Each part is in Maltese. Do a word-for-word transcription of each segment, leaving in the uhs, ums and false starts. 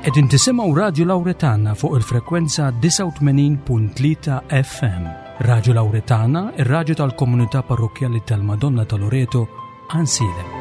Qegħdin tisimgħu Radju Lawretana fuq il-frekwenza disgħa u tmenin punt tlieta F M. Radju Lawretana, ir-radju tal-komunità parrokkjali tal-Madonna ta' Loreto, Għajnsielem.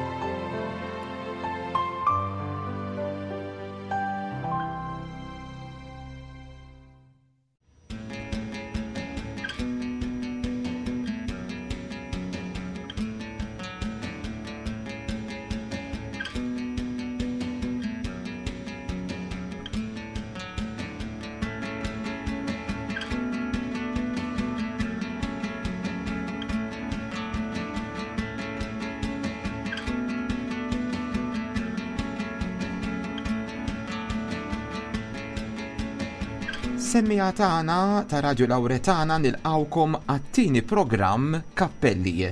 Semmiegħa tagħna ta' Radio Lawretana, nilqgħukom għat-tieni programm Kappelli.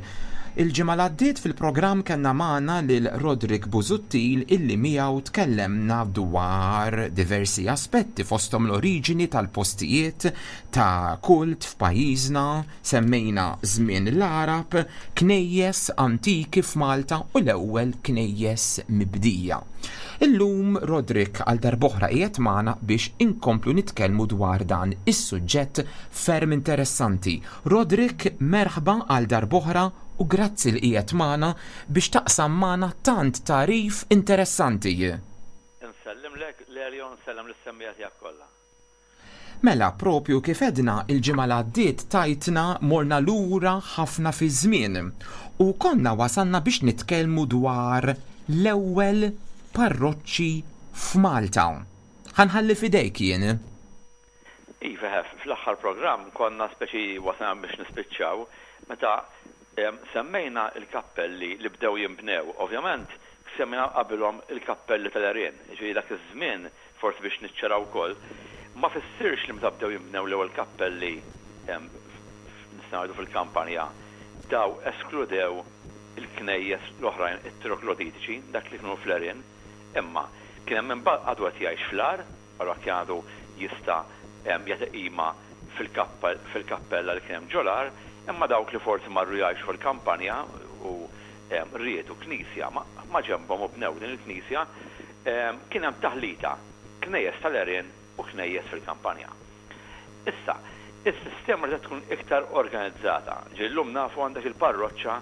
Il-ġimgħa li għaddiet fil-programm kellna magħna lil Roderick Busuttil, illi miegħu tkellemna dwar diversi aspetti, fosthom l-oriġini tal-postijiet ta' kult f'pajjiżna, semmejna żmien l-Arab, knejjes antiki f'Malta u l-ewwel knejjes mibdija. Illum Roderick għal darb'oħra qiegħed magħna biex inkomplu nitkellmu dwar dan is-suġġett ferm interessanti. Roderick, merħba għal darb'oħra u grazzi li qiegħed magħna biex taqsam magħna tant tagħrif interessanti. Insellimlek, Lelio, nsellem lis-semmiegħa tiegħek kollha. Mela, propju kif għedna il-ġimgħa li għaddiet, tajtna morna lura ħafna fi żmien u konna wasalna biex nitkellmu dwar l-ewwel parroċċi f'Malta. Ħa nħalli f'idejk jien. Iva, fl-aħħar programm konna speċi wasalna biex nispiċċaw meta semmejna il-kappelli li bdew jimbnew. Ovvjament, semmejna qabilhom il-kappelli tal-għerien. Ġifieri dak iż-żmien, forsi biex niċċaraw ukoll, ma fissirx li meta bdew jimbnew l-ewwel kappelli, nistgħu fil-kampanja, daw eskludew il-knejjes l-oħrajn, it-trogloditiċi, dak li kienu fl-għerien, imma kien hemm għadu qed jgħix fl-għar, allura kien għadu jista' jagħti qima fil-kappella li kien hemm ġol-għar, imma dawk li forsi marru jgħixu fil-kampanja u riedu knisja ma ġenbhom u bnew din il-knisja, kien hemm taħlita, knejjes tal-għerien u knejjes fil-kampanja. Issa, is-sistema li tkun iktar organizzata. Ġillum nafu għandek il-parroċċa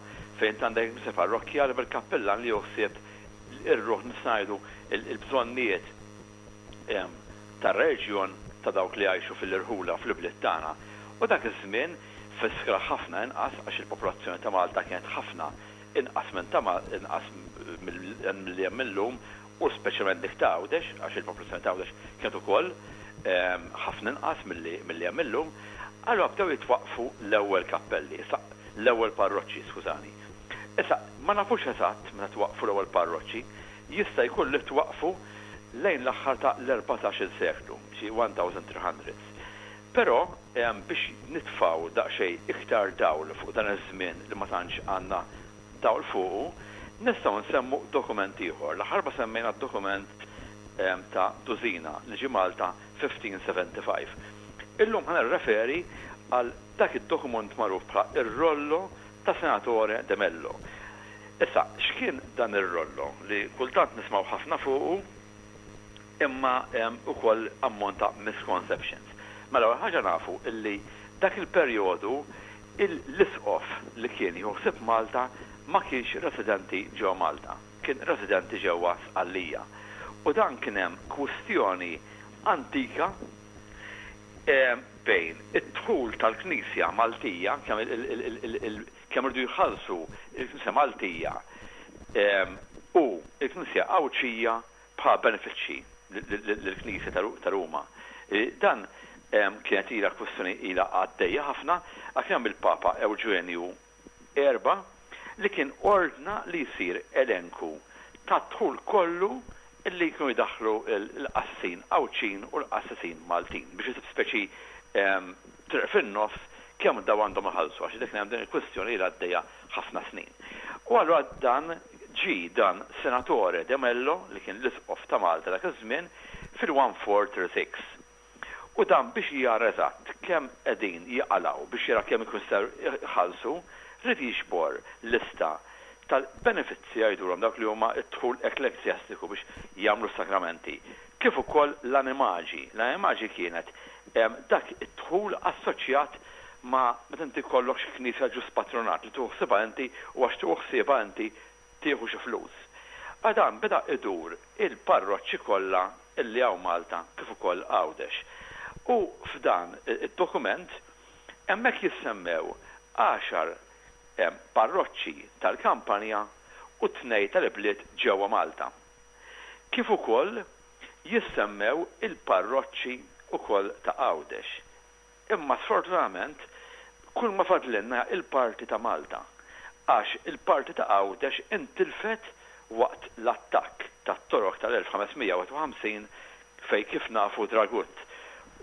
fejn għandek il-knisja parrokkjali bil-kappellan li joħsib ir-ruħ, ngħidu, il-bżonnijiet tar-reġjon, ta' dawk li jgħixu fil-irħula, fl-ibliet tagħna. U dak iż-żmien fiskra ħafna inqas, għax il-popolazzjoni ta' Malta kienet ħafna inqas minn ta' inqas milli hemm illum, u speċjalment dik ta' Għawdex, għax il-popolazzjoni ta' Għawdex kienet ukoll ħafna inqas milli hemm illum. Allura bdew jitwaqfu l-ewwel kappelli, l-ewwel parroċċi, skużani. Issa, ma nafux eżatt meta twaqfu l-ewwel parroċċi, jista' jkun li twaqfu lejn l-aħħar ta' l-erbatax-il seklu, xi elf u tliet mija. Però biex nitfaw daqsxejn iktar dawl fuq dan iż-żmien li ma tantx għandna dawl fuqu, nistgħu nsemmu dokument ieħor. L-aħħar semmejna dokument ta' Dusina li ġi Malta elf u ħamsmija u sebgħa u sebgħin. Illum ħa nirreferi għal dak id-dokument magħruf bħala ir-Rollo ta' Senatore de Mello. Issa, x'kien dan ir-rollo li kultant nismaw ħafna fuqu imma ukoll ammont ta' misconceptions? Mela, ħaġa nafu illi dak il-perjodu l-isqof li kien joħsib Malta ma kienx residenti ġewwa Malta, kien residenti ġewwa Sqallija. U dan kien hemm kwistjoni antika bejn id-dħul tal-Knisja Maltija, kemm irdu jħallsu il-Knisja Maltija u il-Knisja Għawdxija bħala benefiċċji lill-Knisja ta' Ruma. E, dan kienet ila kwistjoni ila għaddejja ħafna, għax hemm il-Papa Eugenju Erba li kien ordna li jsir elenku ta' dħul kollu illi jkunu jdaħlu l-qassin Għawdxin u l-qassisin Maltin biex jisib speċi triq fin-nofs kemm daw għandhom iħallsu, għax dik hemm din il-kwistjoni li għaddejja ħafna snin. U allura dan ġi dan Senatore de Mello, li kien l-isqof ta' Malta dak iż-żmien fil-elf u tliet mija u sitja u tletin. U dan biex jara eżatt kemm qegħdin jaqalaw, biex jara kemm ikun jħallsu, rid jiġbor lista tal-benefizzi jgħidulhom, dawk li huma d-dħul ekklesjastiku biex jagħmlu sakramenti. Kif ukoll l-animaġi. L-animaġi kienet dak id-dħul assoċjat ma' meta inti kollok xi knisja ġus patronat li tieħu ħsiebha inti u għax tieħu ħsiebha inti tieħu xi flus. Għadan beda idur il-parroċċi kollha illi hawn Malta kif ukoll Għawdex. U f'dan id-dokument hemmhekk jissemmew għaxar parroċċi tal-kampanja u tnej tal-ibliet ġewwa Malta. Kif ukoll jissemmew il-parroċċi ukoll ta' Għawdex. Imma sfortunatament kull ma fadlinna il-parti ta' Malta, għax il-parti ta' Għawdex intilfet waqt l-attakk tat-Torok tal-elf ħames mija u ħamsin fej kif nafu Dragut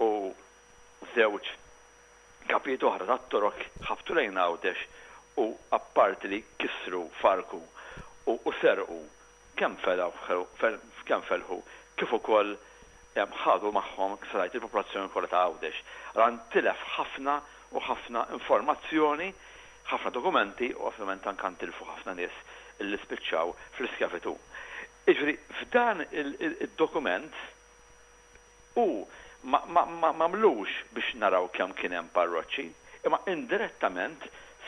u żewġ kapijiet oħra tat-Torok ħabtu lejn Għawdex u apparti li kisru, farku u, u serqu kemm kemm felħu, kif ukoll ħadu magħhom ksarajt il-popolazzjoni kollha ta' Għawdex. Ran tilef ħafna u ħafna informazzjoni, ħafna dokumenti u ovvjament anke ntilfu ħafna nies li spiċċaw fl-iskjavitu. Jiġifieri f'dan il-dokument u m'għamlux biex naraw kemm kien hemm parroċċi, imma indirettament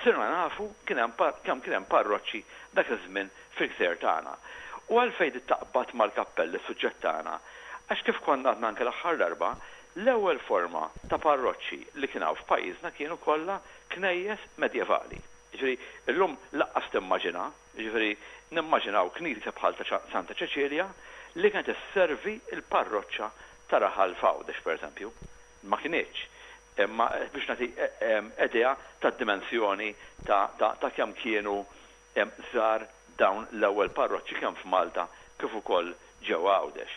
sirna nafu kemm kien hemm parroċċi dak iż-żmien fil-gżejjer tagħna. U għalfejn taqbad mal-kappelli suġġett tagħna? Għax kif konna għadna anke l-aħħar darba, l-ewwel forma ta' parroċċi li kien hawn f'pajjiżna kienu kollha knejjes medjevali. Jiġifieri illum laqqas timmaġina, jiġifieri nimmaġinaw knisja bħal ta' Santa Ċeċilja li kienet isservi l-parroċċa ta' raħal f'Għawdex pereżempju. Ma kinitx. Imma biex nagħti idea tad-dimensjoni ta' kemm kienu żgħar dawn l-ewwel parroċċi kemm f'Malta kif ukoll ġewwa Għawdex.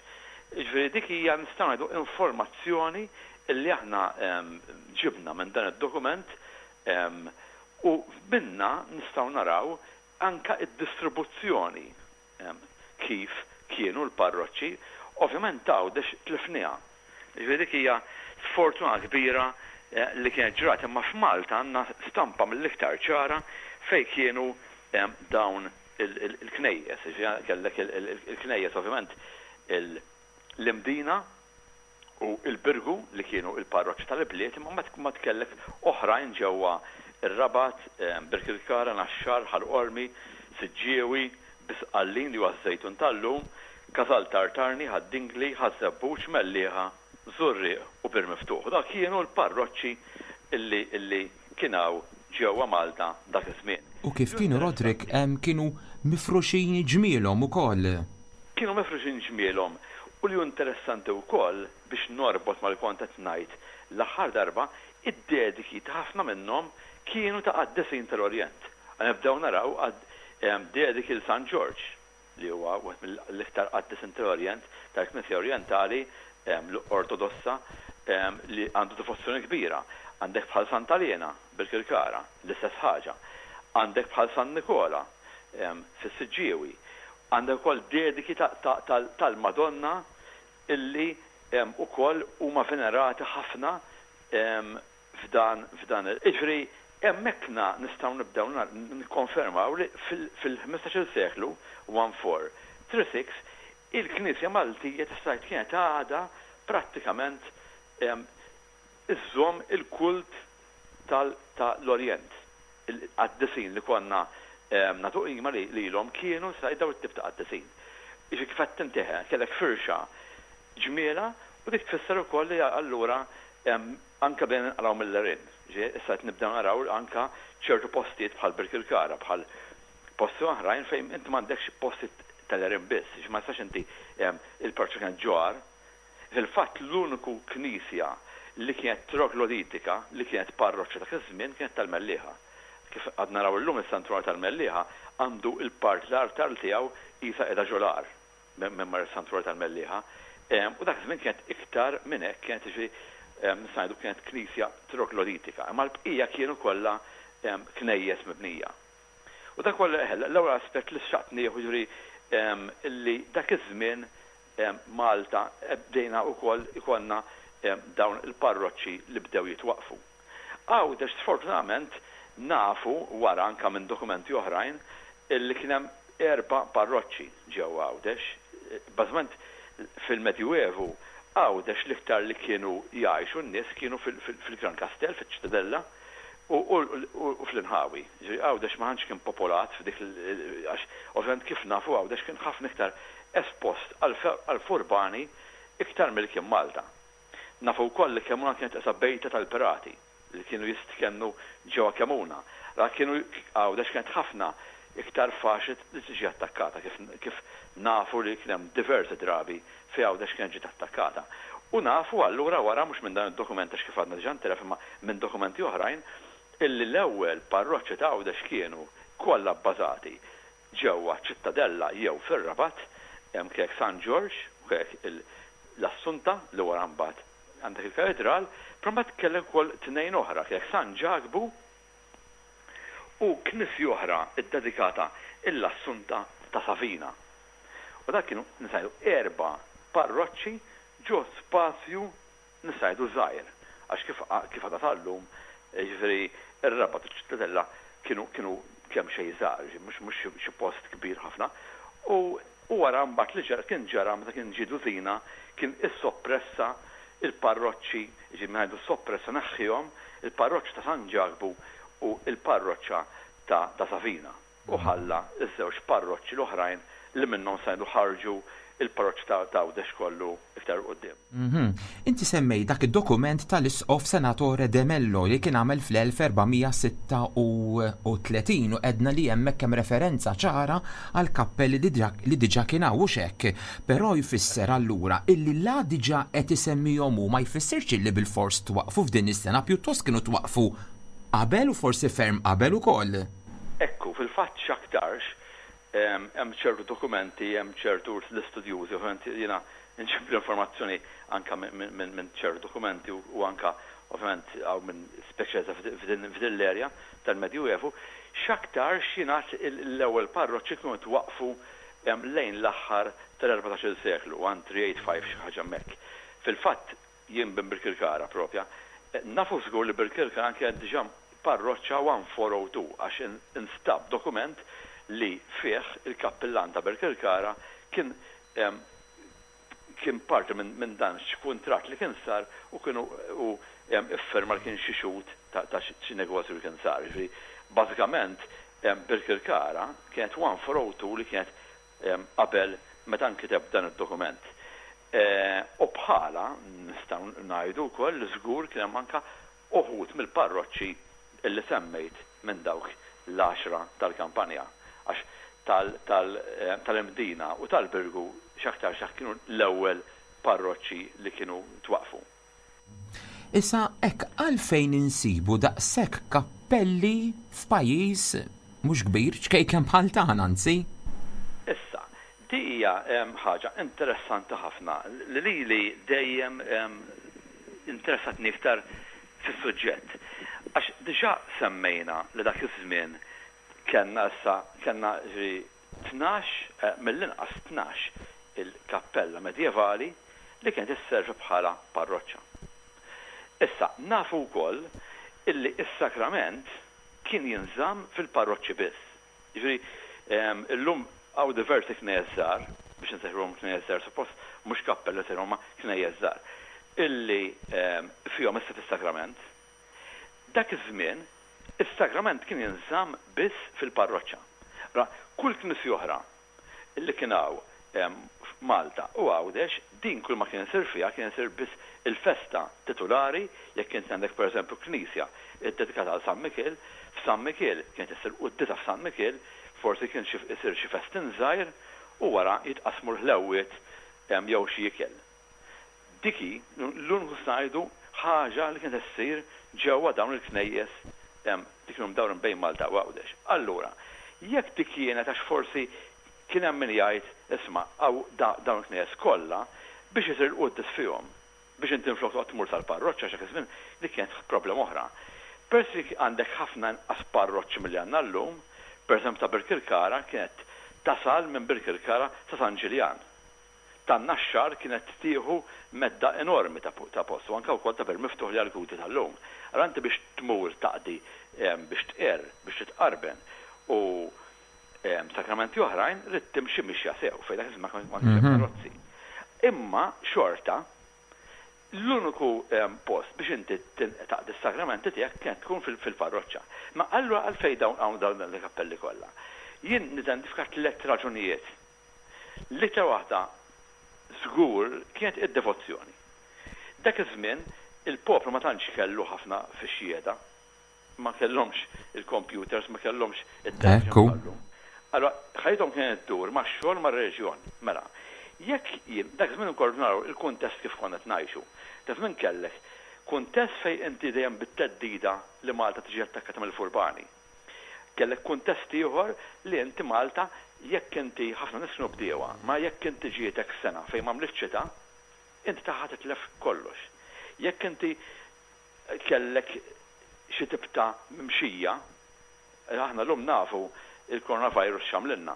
Jiġifieri dik hija nistgħu ngħidu informazzjoni li aħna ġibna minn dan id-dokument u minna nistgħu naraw anka id-distribuzzjoni kif kienu l-parroċċi. Ovvjament Għawdex tlifniha. Jiġifieri dik hija sfortuna kbira li kienet ġrat, imma f'Malta għandna stampa mill-iktar ċara fejn kienu dawn il-knejjes. Jiġifieri kellek il-knejjes ovvjament l-Imdina u l-Birgu li kienu il-parroċċi tal-ibliet, imma ma tkellek oħrajn ġewwa ir-Rabat, Birkirkara, Naxxar, Ħal Qormi, Siġġiewi, Bisqallin li huwa ż-Żejtun tal-lum, Casal Tartarni, Ħad-Dingli, Ħaż-Żebbuġ, Mellieħa, Żurrieq u Bir Miftuħ. Dak kienu l-parroċċi illi illi kien hawn ġewwa Malta dak iż-żmien. U kif kienu, Roderick, kienu mifruxin ġmielhom ukoll. Kienu mifruxin ġmielhom. U li interessanti wkoll biex norbot mal-kont qed ngħid l-aħħar darba, id-dediki ta' ħafna minnhom kienu ta' qaddisin tal-Orjent. Nibdew naraw dediki l San Ġorġ, li huwa wieħed mill-iktar qaddisin tal-Orjent, tal-Knisja Orjentali l-Ortodossa, li għandu devozzjoni kbira. Għandek bħal Santa Lena bil-Kirkara, l-istess ħaġa. Għandek bħal San Nikola fis-Siġġiewi. Għandek ukoll dediki tal-Madonna illi ukoll huma venerati ħafna f'dan f'dan. Jiġifieri hemmhekk nistgħu nibdew nikkonfermaw li fil-ħmistax-il seklu one four three six il-Knisja Maltija tista' tgħid kienet għadha prattikament iżżomm il-kult tal-Orjent. Il-qaddisin li konna nagħtu qima lilhom kienu sa daw it-tip ta' qaddisin. Jiġifieri kif qed tinteħe kellek firxa ġmiela u dik tfisser ukoll li allura anke bejn nqalgħu mill-għerien. Issa qed nibdew naraw anke ċertu postijiet bħal Birkirkara, bħal posti oħrajn fejn inti m'għandekx postijiet tal-għerien biss, jiġifieri ma tistax inti il-parroċċa kienet ġoar. Fil-fatt l-uniku knisja li kienet trogloditika, li kienet parroċċa dak iż-żmien kienet tal-Mellieħa. Kif qed naraw illum is-santwarju tal-Mellieħa għandu il-part l-artal tiegħu qisha qiegħda ġolar minn mar is-santwarju tal-Mellieħa. U dak iż-żmien kienet iktar minn hekk, kienet jiġifieri nista' ngħidu kienet knisja trogloditika, imma l-bqija kienu kollha knejjes mibnija. U dak huwa l-ewwel aspett li xtaqt nieħu, jiġifieri illi dak iż-żmien Malta bdejna wkoll ikollna dawn il-parroċċi li bdew jitwaqfu. Għawdex sfortunatament nafu wara anka minn dokumenti oħrajn Illi kien hemm erba' parroċċi ġewwa Għawdex. Bażikament fil-Medjuevu Għawdex l-iktar li kienu jgħixu n-nies kienu fil-Gran Kastell, fiċ-Ċittadella u fl-inħawi. Għawdex ma kien popolat f'dik, għax ovvjament kif nafu Għawdex kien ħafna iktar espost għal-furbani iktar mill kien Malta. Nafu wkoll li Kemmuna kienet qisha bejta tal-pirati li kienu jistkennu ġewwa Kemmuna. Ra kienu Għawdex kienet ħafna iktar faċli li tiġi attakkata, kif, kif nafu li kien hemm diversi drabi fi Għawdex kienet ġiet attakkata. U nafu allura wara, mhux minn dan id-dokument għax kif għadna diġà ntelef, imma minn dokumenti oħrajn, illi l-ewwel parroċċi ta' Għawdex kienu kollha bbażati ġewwa Ċittadella jew fir-Rabat. Hemm kek San Ġorġ u kek l-Assunta li wara mbagħad għandek il-katedral, però mbagħad kellek ukoll tnejn oħra, kek San Ġakbu u knisja oħra ddedikata l-Assunta ta' Savina. U dak kienu nisajdu erba' parroċċi ġo spazju nisajdu żgħir. Għax kif kif għadha tal-lum, ġifieri ir-Rabat u ċ-Ċittadella kienu kienu kemm xejn żgħar, mhux mhux xi post kbir ħafna. U u wara mbagħad li ġara kien ġara meta kien ġie Dusina, kien issoppressa il-parroċċi, ġi ngħidu soppressa, neħħihom il-parroċċa ta' San Ġakbu u il-parroċċa ta', ta Savina. U ħalla iż-żewġ parroċċi l-oħrajn li minnhom sajdu ħarġu il-parroċċi ta' Għawdex kollu iktar quddiem. Mhm. Inti semmej dak id-dokument tal-Isqof Senatore De Mello li kien għamel fl-elf erba' mija sitta u tletin u għedna li hemmhekk hemm referenza ċara għal kappelli li diġà- li diġà kien hawn, hux hekk. Però jfisser allura illi la diġà qed isemmihom hu ma jfissirx illi bil-fors twaqfu f'din is-sena, pjuttost kienu twaqfu qabel u forsi ferm qabel ukoll. Ekku, fil-fatt x'aktarx em, hemm ċertu dokumenti, hemm ċertu l-istudjużi, ovvjament jiena nġib l-informazzjoni anka minn min, min ċertu dokumenti u, u anka ovvjament hawn minn speċjalizza f'din f'din l-erja tal-Medjuevu, x'aktarx jingħad l-ewwel parroċċi kienu twaqfu em, lejn l-aħħar tal-erbatax-il seklu, wieħed tlieta tmien ħamsa xi ħaġa hemmhekk. Fil-fatt jien bin Birkirkara propja, eh, nafu żgur li Birkirkara anke diġà parroċċa elf u erba' mija u tnejn għax in- instab dokument li fih il-kappillan ta' Birkirkara kien em, kien parti minn min dan x'kuntratt li kien sar u kienu u em, iffirma li kien xi xhud ta' ta' xi negozju li kien sar. Ġifieri bażikament em, Birkirkara kienet elf u erba' mija u tnejn li kienet em, qabel meta nkiteb dan id-dokument. E, U bħala nistgħu ngħidu wkoll li żgur kien hemm anka uħud mill-parroċċi illi semmejt minn dawk l-għaxra tal-kampanja. Għax tal-Imdina u tal-Birgu x'aktar x'ak kienu l-ewwel parroċċi li kienu twaqfu. Issa hekk, għalfejn insibu daqshekk kappelli f'pajjiż mhux kbir, ċkejken bħal tagħna anzi? Issa, di hija em, ħaġa interessanti ħafna li li li dejjem em, interessatni iktar fis-suġġett. Għax diġà semmejna li dak iż-żmien kellna issa kellna ġi tnax, eh, mill-inqas tnax il-kappella medjevali li kienet isservi bħala parroċċa. Issa, nafu wkoll illi is-sakrament kien jinżamm fil-parroċċi biss. Ġifieri, em, illum hawn diversi knejjes żgħar, biex nsejħulhom knejjes żgħar, suppost mhux kappella sejħulhom ma knejjes żgħar, illi em, fihom issa fis-sakrament. Dak iż-żmien, is-sakrament kien jinżamm biss fil-parroċċa. Ra, kull knisja oħra illi kien hawn em, f'Malta u Għawdex, din kull ma kien isir fiha kien isir biss il-festa titulari. Jekk kien għandek pereżempju knisja ddedikata għal San Mikiel, f'San Mikiel kienet issir quddiesa f'San Mikiel, forsi kien xi isir xi festin żgħir u wara jitqasmu l-ħlewwiet em, jew xi ikel. Dik hi l-uniku ngħidu ħaġa li kienet issir ġewwa dawn il-knejjes em, li kienu mdawrin bejn Malta u Għawdex. Allura, jekk dik kienet, għax forsi kien hemm min jgħid, isma' hawn dawn il-knejjes kollha biex isir il-quddies fihom, biex inti nflok toqgħod tmur tal-parroċċa, x'dak iż-żmien dik kienet problema oħra. Peress li għandek ħafna inqas parroċċi milli għandna llum, pereżempju ta' Birkirkara kienet tasal minn Birkirkara sa San Ġiljan. Tan-Naxxar kienet tieħu medda enormi ta' ta' post, u anke wkoll ta' Bir Miftuħ li għal-Gudi tal-lum. Allora inti biex tmur taqdi em, biex tqerr, biex titqarben u Sakramenti oħrajn ridt timxi mixja sew, fejn dak iż-żmien ma kienx hemm karozzi. Imma xorta l-uniku post biex inti taqdi s-sakramenti tiegħek kienet tkun fil-parroċċa. Ma allura għalfejn dawn hawn dawn il-kappelli kollha? Jien nidentifika tliet raġunijiet. L-iktar waħda żgur kienet id-devozzjoni. Dak iż-żmien il-poplu ma tantx kellu ħafna fix-xhieda. Ma kellhomx il-computers, ma kellhomx it-television. Allora, ħajjithom kienet ddur max-xogħol, mar-reliġjon. Mela, jekk jien, dak żmien ukoll naraw il-kuntest kif konna ngħixu. Dak żmien kellek kuntest fejn inti dejjem bit-theddida li Malta tiġi attakkata mill-furbani. Kellek kuntest ieħor li inti Malta, jekk inti, ħafna nies kienu bdiewa, ma jekk inti ġietek sena fejn m'għamlitx xita, inti taħħa titlef kollox. Jekk inti kellek xi tip ta' mimxija, aħna llum nafu il-coronavirus x'għamlilna.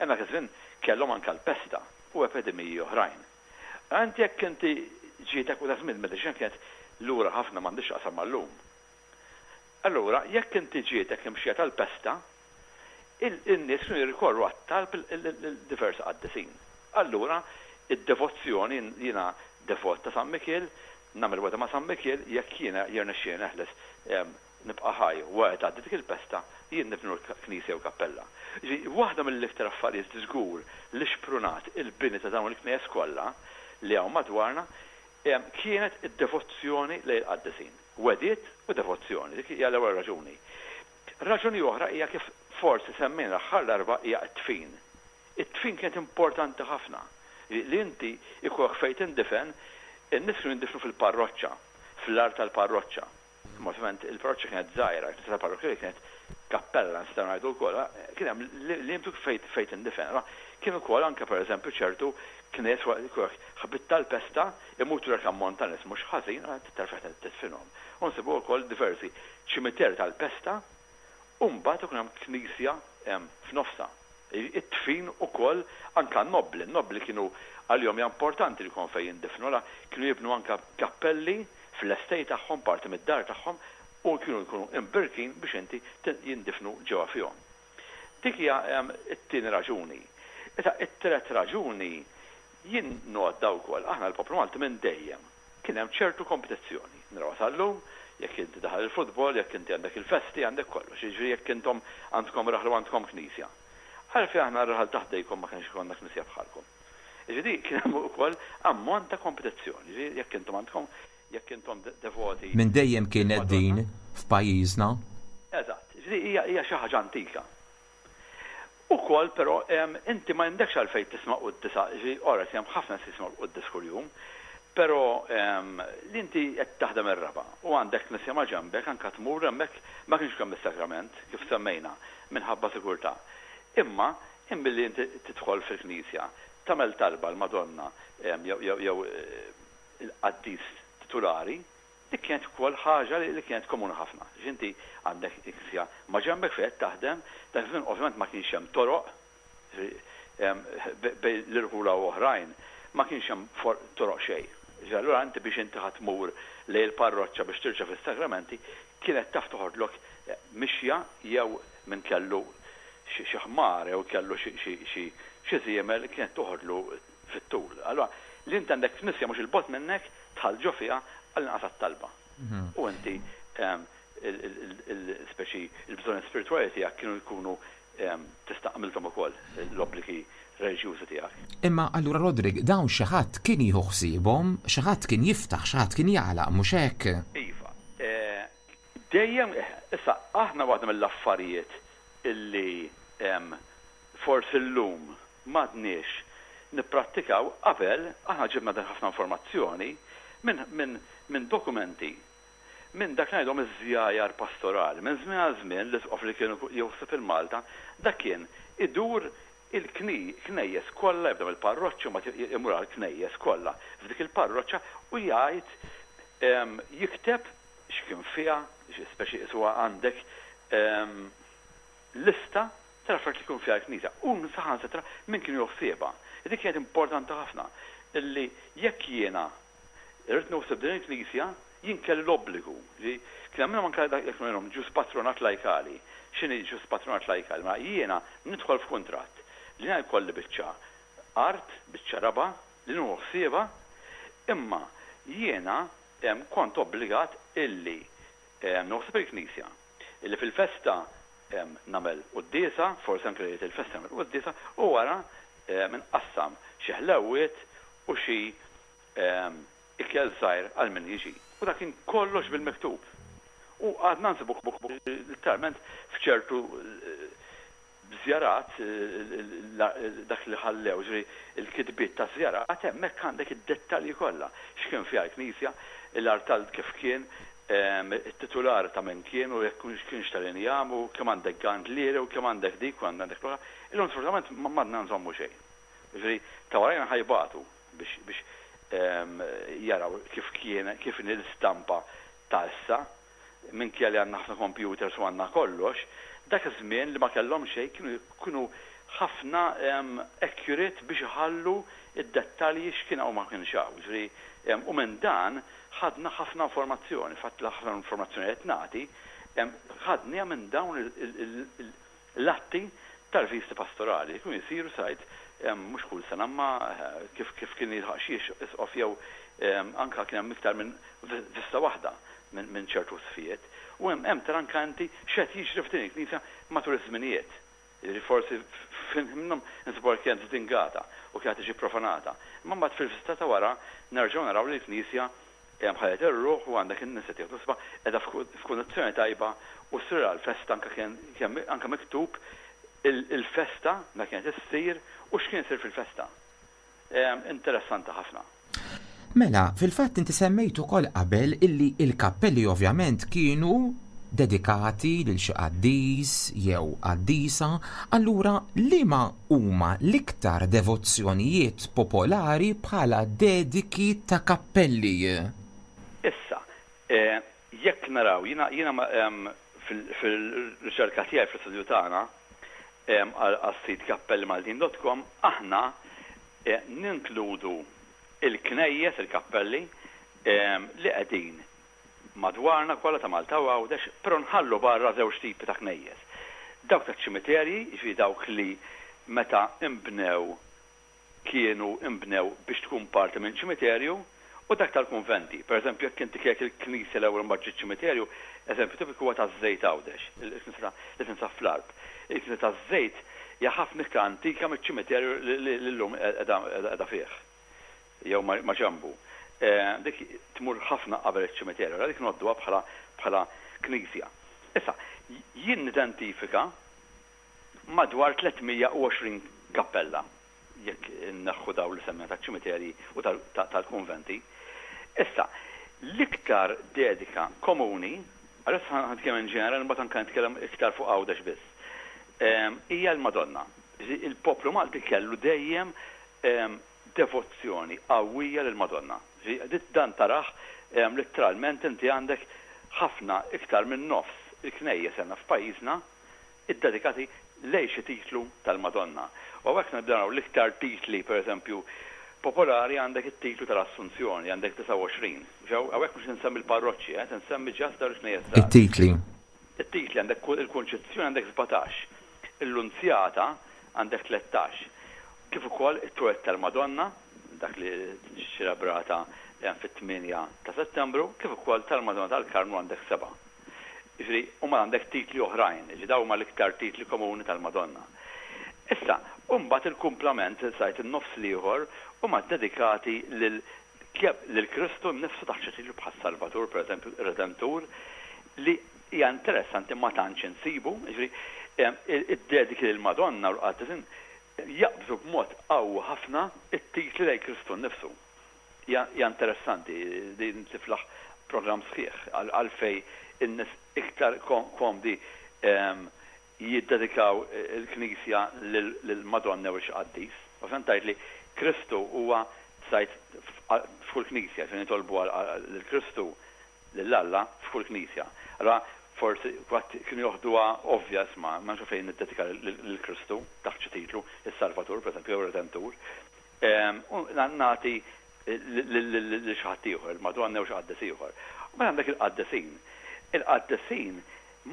Imma żmien kellhom anke l-pesta u epidemiji oħrajn. Għand jekk inti ġietek, u żmien mediċina kienet lura ħafna, m'għandix qasam mal-lum. Allura, jekk inti ġietek imxija tal-pesta, in-nies kienu jirrikorru għat-talb il-diversi qaddisin. Allura, id-devozzjoni, jiena devot ta' San Mikiel, nagħmel wegħda ma' San Mikiel, jekk jiena jirnexxieli neħles, nibqa' ħaj wara tgħaddi dik il-pesta, jien nibnu l-knisja u kappella. Waħda mill-iktar affarijiet żgur li xprunat il-bini ta' dawn il-knejjes kollha li hawn madwarna kienet id-devozzjoni lejn il-qaddisin. Wegħdiet u devozzjoni, dik hija l-ewwel raġuni. Raġuni oħra hija, kif forsi semmejna l-aħħar darba, hija t-tfin. It-tfin kienet importanti ħafna. Li inti ikollok fejn tindifen, in-nies kienu jindifnu fil-parroċċa, fl-art tal-parroċċa. Ovvjament il-parroċċa kienet żgħira, il-parroċċa kienet kappella nistgħu ngħidu wkoll, kien hemm limitu fejn fejn tindifen. Kien ukoll anke, pereżempju, ċertu knejjes, ħabit tal-pesta imutu l ammont ta' nies mhux ħażin, terfa' tidfinhom. U nsibu wkoll diversi ċimiter tal-pesta u mbagħad ikun hemm knisja f'nofsa. It-tfin ukoll anke nobli, nobli kienu għalihom hija importanti li jkun fejn jindifnu, la kienu jibnu anke kappelli fl-estate tagħhom, parti mid-dar tagħhom, u kienu jkunu imbirkin biex inti jindifnu ġewwa fihom. Dik hija t-tieni raġuni. Issa, it-tielet raġuni jien ngħoddha wkoll, aħna l-poplu Malti minn dejjem kien hemm ċertu kompetizzjoni. Naraw sal-lum, jekk inti daħal il-futbol, jekk inti għandek il-festi, għandek kollox, jiġifieri jekk intom għandkom raħlu, għandkom knisja. Għalfejn aħna r-raħal ta' ħdejkom ma kienx ikollna knisja bħalkom? Jiġifieri kien hemm ukoll ammont ta' kompetizzjoni, jiġifieri jekk intom għandkom, jekk intom devoti. Minn dejjem kienet din f'pajjiżna. Eżatt, jiġifieri hija hija xi ħaġa antika. Ukoll però inti ma għandekx għalfejn tisma' quddiesa, jiġifieri ora hemm ħafna tisma' quddies kuljum, però li inti qed taħdem ir-raba' u għandek knisja ma' ġembek, anke tmur hemmhekk. Ma kienx kemm is-sagrament, kif semmejna, minħabba sigurtà. Imma imbilli inti tidħol fil-knisja, tagħmel talba l-Madonna jew jew il-qaddis titulari, dik kienet ukoll ħaġa li kienet komuni ħafna. Inti għandek knisja ma' ġembek fejn taħdem, dak żmien ovvjament ma kienx hemm toroq bejn l-irħula u oħrajn, ma kienx hemm toroq xejn. Allura inti biex inti ħa tmur lejn il-parroċċa biex tirċievi s-sagramenti, kienet taf toħodlok mixja, jew min kellu xi ħmar jew kellu xi żiemel kienet toħodlu fit-tul. Allura li inti għandek knisja mhux 'il bogħod minnek, tidħol ġo fiha għall-inqas talba. U inti il-speċi il-bżonn spiritwali tiegħek kienu jkunu tista' għamilthom ukoll l-obbligi reliġjużi tiegħek. Imma allura, Rodrik, dawn xi ħadd kien jieħu ħsiebhom, xi ħadd kien jiftaħ, xi ħadd kien jagħlaq, mhux hekk? Iva. Dejjem, issa aħna waħda mill-affarijiet illi forsi llum m'għadniex nipprattikaw, qabel aħna ġibna dan ħafna informazzjoni minn min, min dokumenti, minn dak ngħidhom iż-żjajar pastorali. Minn żmien għal żmien l-isqof li kienu jieħu ħsieb Malta, dak kien idur il-knejjes kollha, jibda mill-parroċċa, ma imur għall-knejjes kollha f'dik il-parroċċa u jgħid, jikteb x'kien fiha, speċi iswa għandek lista tal-affarijiet li jkun fiha l-knisja. U saħansitra min kienu joħsiebha. Dik kienet importanti ħafna illi jekk jiena irrid naħseb din il-knisja, jien kelli l-obbligu li kien hemm anke dak jekk ngħidhom ġus patronat lajkali. X'inhi ġus patronat lajkali? Ma jiena nidħol f'kuntratt li jiena jkolli biċċa art, biċċa raba' li nieħu ħsiebha, imma jiena kont obbligat illi nieħu ħsieb il-knisja, illi fil-festa nagħmel quddiesa, forsi anke lejliet il-festa nagħmel quddiesa, u wara nqassam xi ħlewwiet u xi ikel żgħir għal min jiġi. U dak kien kollox bil-miktub. U għadna nsibu literalment f'ċertu żjarat dak li ħallew, ġifieri il-kitbiet ta' żjarat, hemmhekk għandek id-dettalji kollha. X'kien fiha l-knisja, l-artal kif kien, it-titular ta' min kien u jekk kienx tal-injam u kemm għandek gandlieri u kemm għandek dik u għandek l-oħra. Illum sfortunatament m'għadna nżommu xejn. Ġifieri ta' warajna ħa jbatu biex biex jaraw kif kien kif inhi l-istampa ta' issa, minkejja li għandna ħafna computers u għandna kollox, dak iż-żmien li ma kellhom xejn kienu kienu ħafna accurate biex iħallu id-dettalji x'kien hawn ma kienx hawn. Ġifieri u minn dan ħadna ħafna informazzjoni, fatt ħafna informazzjoni qed nagħti, ħadniha minn dawn l-atti tal-visti pastorali, kienu jisiru sajt mhux kull sena ma kif kif kien jilħaq xi isqof jew anka kien hemm iktar minn vista waħda minn ċertu sfijiet. U hemm hemm tara anka inti x'qed jiġri f'din il-knisja matul iż-żminijiet. Jiġifieri forsi minnhom nsibu kienet żdingata u kienet tiġi profanata. Imma mbagħad fil-vista ta' wara nerġgħu naraw li l-knisja ħadet ir-ruħ u għandek in-nies qed jieħdu qiegħda f'kundizzjoni tajba u ssir l-festa anke kien anke miktub il-festa ma kienet issir u x'kien isir fil-festa. Interessanti ħafna. Mela, fil-fatt inti semmejt ukoll qabel illi il-kappelli ovvjament kienu dedikati lil xi qaddis jew qaddisa, allura liema huma l-iktar devozzjonijiet popolari bħala dediki ta' kappelli? Issa, jekk naraw, jiena jiena fil-riċerka tiegħi fl-istudju tagħna għas-sit kappelli maltin dot com aħna ninkludu il-knejjes, il-kappelli li qegħdin madwarna kollha ta' Malta u Għawdex, però nħallu barra żewġ tipi ta' knejjes. Dawk ta' ċimiterji, jiġifieri dawk li meta imbnew kienu imbnew biex tkun parti minn ċimiterju, u dak tal-kunventi. Per eżempju, jekk inti kieku il-knisja l-ewwel mbagħad ġiet ċimiterju, eżempju tipiku huwa taż-Żejt Għawdex, il-knisja li tinsab fl-Għarb. Il-knisja taż-Żejt hija ħafna iktar antika miċ-ċimiterju li llum qiegħda fih jew ma' ġenbu. Dik tmur ħafna qabel iċ-ċimiterju, dik ngħodduha bħala bħala knisja. Issa, jien nidentifika madwar tliet mija u għoxrin kappella, jekk inneħħu dawn li semmejna taċ-ċimiterji u tal-kunventi. Issa, l-iktar dedika komuni, għalissa ħa nitkellem in ġenerali, mbagħad anke nitkellem iktar fuq Għawdex biss, hija l-Madonna. Il-poplu Malti kellu dejjem devozzjoni qawwija lill-Madonna. Dan taraħ letteralment inti għandek ħafna iktar minn nofs il-knejjes għandna f'pajjiżna iddedikati lejn xi titlu tal-Madonna. U hawnhekk nibdew naraw l-iktar titli, per eżempju, popolari għandek it-titlu tal-Assunzjoni, għandek disgħa u għoxrin. Ġew, hawnhekk mhux insemmi l-parroċċi, eh, insemmi ġast dawn il-knejjes żgħar. It-titli. It-titli għandek il-Kunċizzjoni għandek sbatax, il-Lunzjata għandek tlettax. Kif ukoll it-Twelid tal-Madonna, dak li ċelebrata fit-tmienja ta' Settembru, kif ukoll tal-Madonna tal-Karmnu għandek seba'. Jiġifieri, huma għandek titli oħrajn, jiġifieri dawn huma l-iktar titli komuni tal-Madonna. Issa, u mbagħad il-kumplament, sajt in-nofs l-ieħor, huma dedikati lil lil Kristu nnifsu taħt xi titlu bħas Salvatur, per eżempju, Redentur, li hija interessanti ma tantx insibu, jiġifieri, id-dediki lill-Madonna u l-qaddisin jaqbżu b'mod qawwi ħafna it-titli lejn Kristu nnifsu. Hija interessanti din tiflaħ programm sħiħ għalfej in-nies iktar komdi jiddedikaw il-Knisja lill-Madonna u xi qaddis. U fejn tgħid li Kristu huwa sajt f'kull knisja, fejn nitolbu lil Kristu lil Alla f'kull knisja. Allora forsi kwatt kienu joħduha ovvja isma' ma nafx fejn niddedika lil Kristu taħt xi titlu, is-Salvatur pereżempju jew Redentur. U nagħti lil xi ħadd ieħor, il-Madonna jew xi qaddis ieħor. U mela għandek il-qaddisin. Il-qaddisin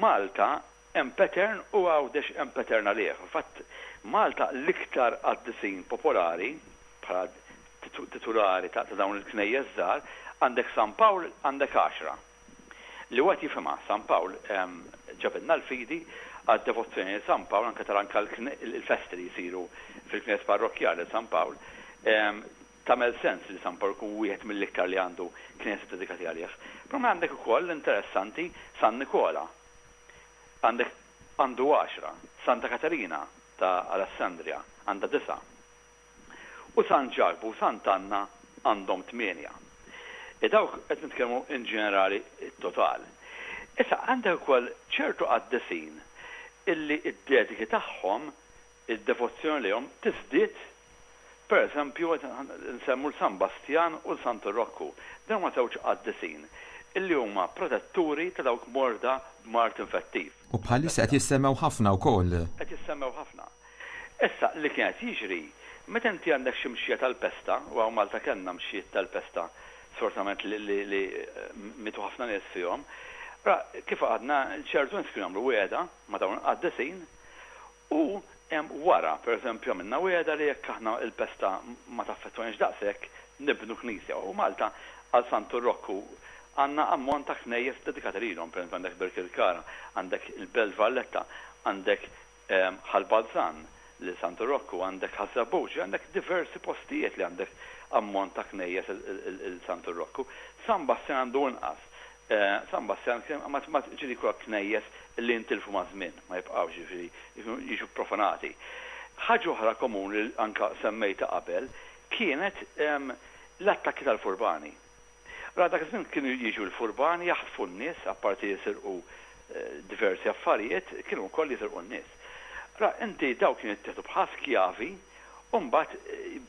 Malta Hemm pattern u Għawdex hemm pattern għalih. Fatt Malta l-iktar qaddisin popolari bħala titulari ta' dawn il-knejjes żgħar għandek San Pawl għandek għaxra. Li wieħed jifhimha San Pawl ġabilna l-fidi għad-devozzjoni San Pawl anke tara anke l-festi li jsiru fil-knejjes parrokkjali San Pawl. Tagħmel sens li San Pawl ikun wieħed mill-iktar li għandu knejjes dedikati għalih. Però għandek ukoll interessanti San Nikola. Għandek għandu għaxra, Santa Katerina ta' Alessandria għandha disa. U San Ġakbu u Sant'Anna għandhom tmienja. E dawk qed nitkellmu in ġenerali total. Issa għandek ukoll ċertu qaddisin illi id-dediki tagħhom id-devozzjoni lejhom tiżdied. Per eżempju, nsemmu l-San Bastjan u l-Santu Rokku. Dawn huma żewġ qaddisin illi huma protetturi ta' dawk morda b'mard infettiv. U bħalissa qed jissemmew ħafna wkoll. Qed jissemmew ħafna. Issa li kienet jiġri, meta inti għandek xi mxija tal-pesta, u hawn Malta kellna mxijiet tal-pesta sfortunatament li, li, li mitu ħafna nies fihom, ra kif għadna ċertu nies kienu jagħmlu wiegħda ma' dawn il-qaddisin u hemm wara, per eżempju, għamilna wiegħda li jekk aħna il-pesta ma taffettwanix daqshekk nibnu knisja. U Malta għal Santu Rokku għandna ammont ta' knejjes dedikati lilhom, per eżempju għandek Birkirkara, għandek il-Belt Valletta, għandek Ħal Balzan li Santu Rokku, għandek Ħaż-Żebbuġ, għandek diversi postijiet li għandek ammont ta' knejjes il-Santu Rokku. San Bastjan għandu inqas. San Bastjan ma ġieli kollha knejjes li jintilfu ma' żmien, ma jibqgħux ġifieri jiġu profanati. Ħaġa oħra komuni li anka semmejta qabel kienet l-attakki tal-furbani. Ra dak iż-żmien kienu jiġu l-furbani jaħtfu n-nies, apparti jisirqu diversi affarijiet, kienu wkoll jisirqu n-nies. Ra inti daw kienu jittieħdu bħal skjavi u mbagħad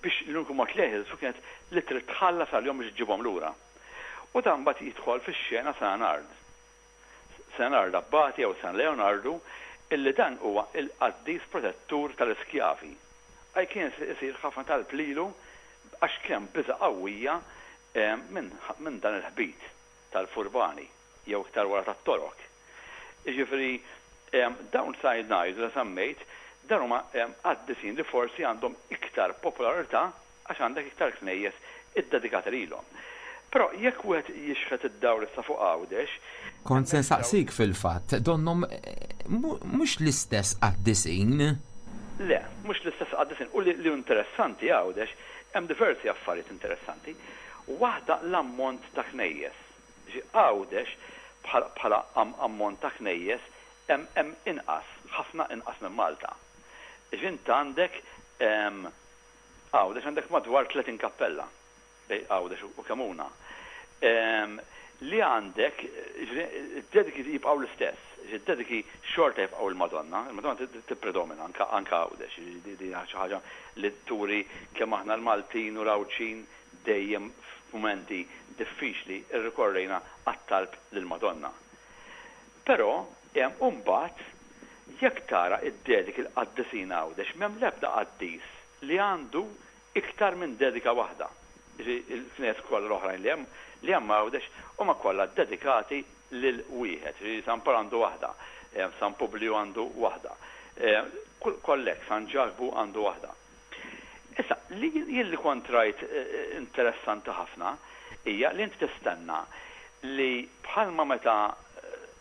biex l-uniku mod li jeħilsu kienet li trid tħallas għalihom biex iġġibhom lura. U dan mbagħad jidħol fix-xena San Ard. San Ard Abbati jew San Leonardu, illi dan huwa il-qaddis protettur tal-iskjavi. Għaj kien isir ħafna talb lilu għax kien biża' qawwija minn min dan il-ħbit tal-furbani jew iktar wara tat-Torok. Jiġifieri dawn sajd ngħidu li semmejt, dawn huma qaddisin li forsi għandhom iktar popolarità għax għandek iktar knejjes iddedikati lilhom. Però jekk wieħed jixħet id-dawl issa fuq Għawdex. Kont se nsaqsik fil-fatt, donnhom mhux l-istess qaddisin. Le, mhux l-istess qaddisin. U li, li interessanti Għawdex, hemm diversi affarijiet interessanti. Waħda l-ammont ta' knejjes. Għawdex bħala ammont ta' knejjes hemm inqas, ħafna inqas minn Malta. Ġint għandek Għawdex għandek madwar tletin kappella bej Għawdex u Kemuna. Li għandek, id-dediki jibqgħu l-istess, id-dediki xorta jibqgħu il-Madonna, il-Madonna tippredomina anka Għawdex, di xi ħaġa li turi kemm aħna l-Maltin u l-Għawdxin dejjem f'mumenti diffiċli rrikorrejna għat-talb lill-Madonna. Però hemm mbagħad jekk tara id-dediki l-qaddisin Għawdex m'hemm l-ebda qaddis li għandu iktar minn dedika waħda. Il-knejjes kollha l-oħrajn li hemm li hemm Għawdex huma kollha dedikati lil wieħed. San Pawl għandu waħda, San Publiju għandu waħda, kollek San Ġakbu għandu waħda. Issa, li jien li kont rajt interessanti ħafna hija li inti tistenna li bħalma meta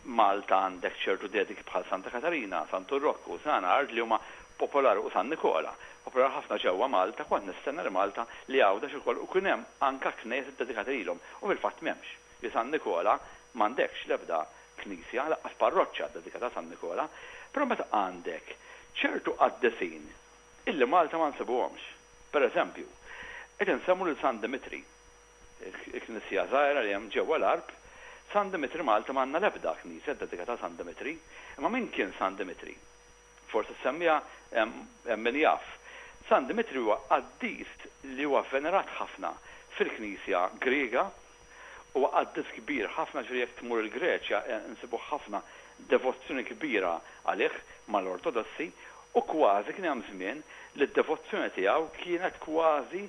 Malta għandek ċertu dediki bħal Santa Katarina, Santu Rokku, San Ard li huma popolari u San Nikola, popolari ħafna ġewwa Malta, kont nistenna li Malta li Għawdex ukoll u kien hemm anka knejjes iddedikati lilhom u fil-fatt m'hemmx. Li San Nikola m'għandekx l-ebda knisja, lanqas parroċċa dedikata San Nikola, però meta għandek ċertu qaddisin illi Malta ma nsibuhomx. Per eżempju, qed insemmu lil San Dimitri, il-knisja żgħira li hemm ġewwa l-Għarb. San Dimitri Malta m'għandna l-ebda knisja dedikata San Dimitri, imma min kien San Dimitri? Forsi semmija hemm min jaf. San Dimitri huwa qaddis li huwa venerat ħafna fil-Knisja Griega, huwa qaddis kbir ħafna, ġifieri jekk tmur il-Greċja nsibu ħafna devozzjoni kbira għalih mal-Ortodossi, u kważi kien hemm żmien li d-devozzjoni tiegħu kienet kważi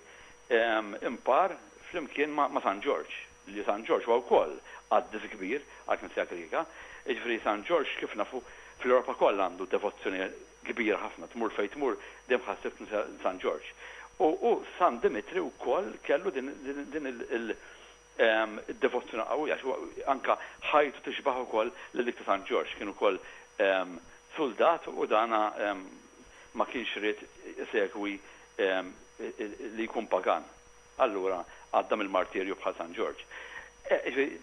impar flimkien ma' San Ġorġ, li San Ġorġ huwa wkoll qaddis kbir għall-Knisja Griega. Jiġifieri San Ġorġ kif nafu Fl-Ewropa kollha għandu devozzjoni kbira ħafna, tmur fejn tmur dejjem ħa ssib San Ġorġ. U San Dimitri wkoll kellu din il-devozzjoni qawwija, anka ħajtu tixbaħ ukoll lil dik ta' San Ġorġ, kien ukoll soldat u dana ma kienx ried isegwi li jkun pagan. Allura għadda mill-martirju bħal San Ġorġ.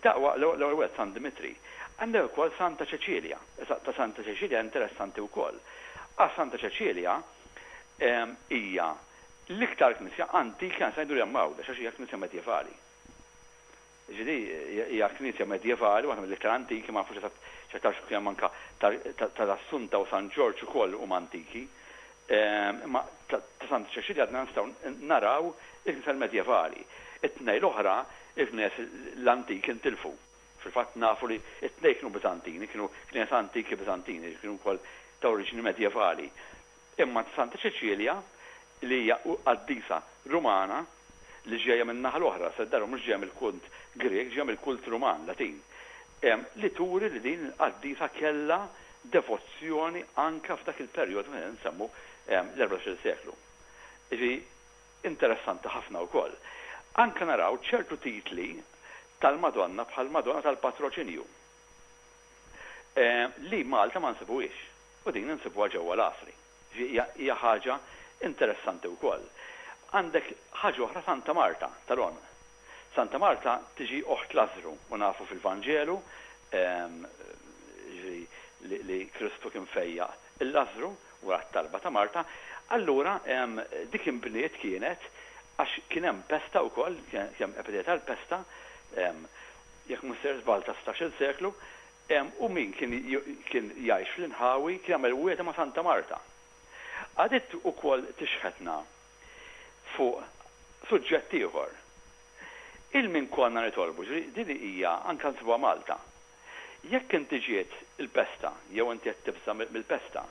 Daqwa l-ewwel wieħed San Dimitri. Għandek ukoll Santa Ċeċilja. Ta' Santa Ċeċilja interessanti wkoll. Għax Santa Ċeċilja hija l-iktar knisja antika ngħidu li hemm Għawdex, għax hija knisja medjevali. Ġifieri hija knisja medjevali, waħda mill-iktar antiki, ma nafux x'aktarx kien hemm anka tal-Assunta u San Ġorġ ukoll huma antiki. Imma ta' Santa Ċeċilja għadna nistgħu naraw il-knisja medjevali. It-tnejn l-oħra, il-knisja l-antiki intilfu. Fil-fatt nafu li it-tnejn kienu Bizantini, kienu knisja antiki Bizantini, kienu wkoll ta' oriġini medjevali. Imma Santa Ċeċilja li hija qaddisa Rumana li ġejja minn naħa l-oħra, se darba mhux ġejja mill-kult Grek, ġejja mill-kult Ruman, Latin. Li turi li din il-qaddisa kellha devozzjoni anka f'dak il-perjodu meta nsemmu l-erbatax-il seklu. Ġi interessanti ħafna wkoll. Anka naraw ċertu titli tal-Madonna bħal Madonna tal-Patroċinju li Malta ma nsibuhiex u din nsibuha ġewwa l-Għasri. Hija ħaġa interessanti wkoll. Għandek ħaġa oħra, Santa Marta tal-On. Santa Marta tiġi oħt Lazzru u nafu fil-Vanġelu li Kristu kien fejjaq il-Lazzru wara t-talba ta' Marta. Allura dik inbniet kienet għax kien hemm pesta wkoll, kien hemm epidemija tal-pesta, jekk mhux sejjer żball ta' sittax-il seklu, u min kien jgħix fl-inħawi kien jagħmel wiegħda ma' Santa Marta. Għadiet ukoll tixħetna fuq suġġett ieħor. Il-min konna nitolbu, din hija anke nsibuha Malta. Jekk inti ġiet il-pesta, jew inti qed tibża' mill-pesta,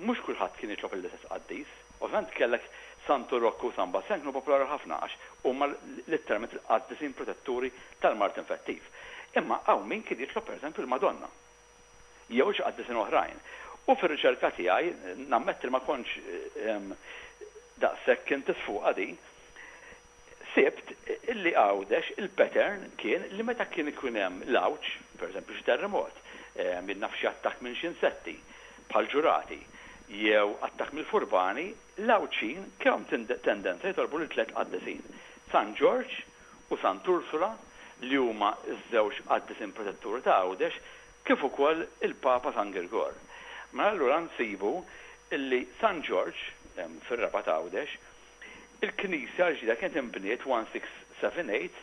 mhux kulħadd kien jitlob l-istess qaddis. Ovvjament kellek Santu Rokku u San Bastian kienu popolari ħafna għax huma letteralment il-qaddisin protetturi tal-mard infettiv. Imma hawn min kien jitlob pereżempju il-Madonna jew xi qaddisin oħrajn. U fir-riċerka tiegħi nammetti ma kontx daqshekk kien tisfuqa din, sibt illi Għawdex il-pattern kien li meta kien ikun hemm l-għawġ, pereżempju xi terremot, minn naf xi attakk minn xi insetti bħal ġurati, jew attakk mill-furbani, l-Għawdxin kellhom tendenza jitolbu lil tliet qaddisin, San Ġorġ u Sant Ursula, li huma ż-żewġ qaddisin protetturi ta' Għawdex, kif ukoll il-Papa San Girgor. Ma allura nsibu illi San Ġorġ fir-Rabat Għawdex, il-knisja l-ġdida kienet inbniet one six seven eight,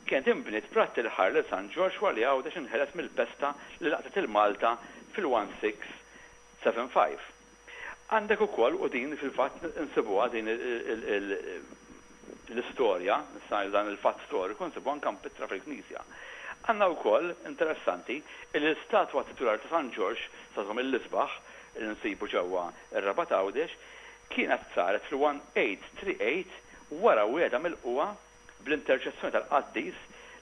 kienet inbniet pratt il-ħar lil San Ġorġ wara li Għawdex inħeles mill-pesta li laqtet il-Malta fil-one six seven five. Għandek ukoll, u din fil-fatt insibuha din l-istorja, dan il-fatt storiku nsibuha anke mpittra fil-knisja. Għandna wkoll interessanti li l-istatwa titulari ta' San Ġorġ, statwa mill-isbaħ li nsibu ġewwa r-Rabat Għawdex, kienet saret fil-one eight three eight wara wiegħda mill-qwa bl-interċessjoni tal-qaddis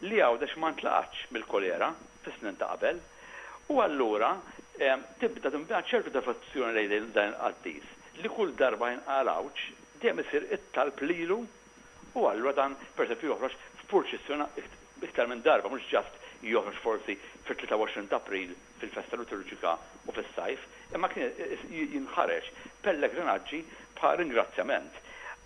li Għawdex ma ntlaqatx mill-kolera fis-snin ta' qabel. U allura tibda tinbena ċertu devozzjoni lejn dan il-qaddis li kull darba jinqal għawġ dejjem isir it-talb lilu, u allura dan pereżempju joħroġ f'purċissjoni iktar minn darba, mhux ġast joħroġ forsi fit-tlieta u għoxrin ta' April fil-festa liturġika u fis-sajf, imma kien jinħareġ pellegrinaġġi bħal ringrazzjament.